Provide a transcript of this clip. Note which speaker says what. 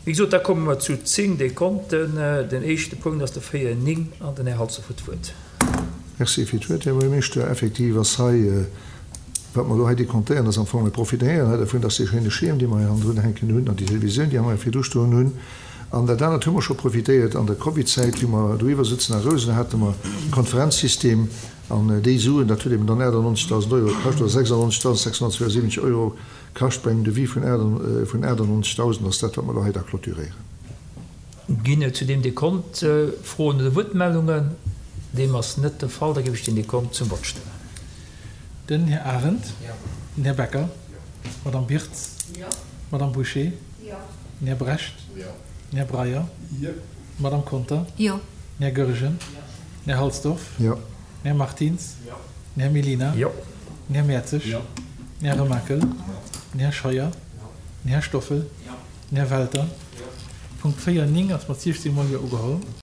Speaker 1: Wéi gesot, da komme mer zu 10 Dekonten. Den éischte Punkt ass de 4, 9 an den Här Halsdorf huet d'Wuert.
Speaker 2: Merci fir d'Wuert, Här Buergermeeschter. Effektiv ass hei, wat mer elo hei dekontéieren, ass am Fong, mir profitéieren hei dervun, dass dee schéine Schierm, dee mer hei hannendrun hänken hunn, an déi Televisioun, déi mer hei virdru stoen hunn, an dat anert hu mer scho profitéiert an der Covidzäit, wéi mer doiwwer sëtzen a Rousen, hate mer e Konferenzsystem, an déi Suen, dat huet eben dann 98.000 Euro kascht, oder 96.672 Euro kascht bei engem Devis vun 98.000, ass dat, wat mer elo hei da clôturéieren.
Speaker 1: Ginn et zu deem Dekont Froen oder Wuertmeldungen? Deem ass net de Fall. Da géif ech den Dekont zum Vott stellen.
Speaker 3: Den Här Arendt. Den Här Becker. D'Madame Birtz. D'Madame Bouché. Den Här Brecht. Den Här Breyer. D'Madame Conter. Den Här Goergen. Den Här Halsdorf. Den Här Martins. Den Här Mellina. Den Här Mertzig. Den Här Remakel. Den Här Scheuer. Den Här Stoffel. Den Här Welter. Punkt 4, 9 ass mat 16 mol Jo ugeholl.